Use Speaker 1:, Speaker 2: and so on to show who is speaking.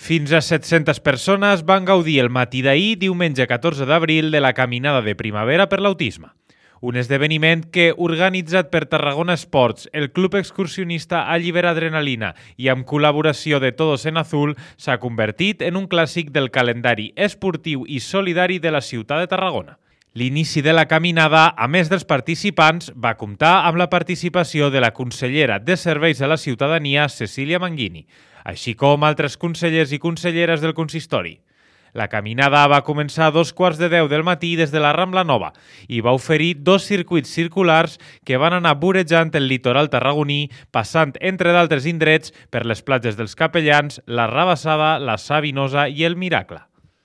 Speaker 1: Fins a 700 persones van gaudir el matí d'ahir, diumenge 14 d'abril, de la Caminada de Primavera per l'Autisme. Un esdeveniment que, organitzat per Tarragona Esports, el Club Excursionista Allibera Adrenalina i amb col·laboració de Todos en Azul, s'ha convertit en un clàssic del calendari esportiu i solidari de la ciutat de Tarragona. L'inici de la caminada, a més dels participants, va comptar amb la participació de la consellera de Serveis a la Ciutadania, Cecília Manguini, així com altres consellers i conselleres del consistori. La caminada va començar a 2:15 del matí des de la Rambla Nova i va oferir 2 circuits circulars que van anar vorejant el litoral tarragoní, passant, entre d'altres indrets, per les platges dels Capellans, la Rabassada, la Savinosa i el Miracle.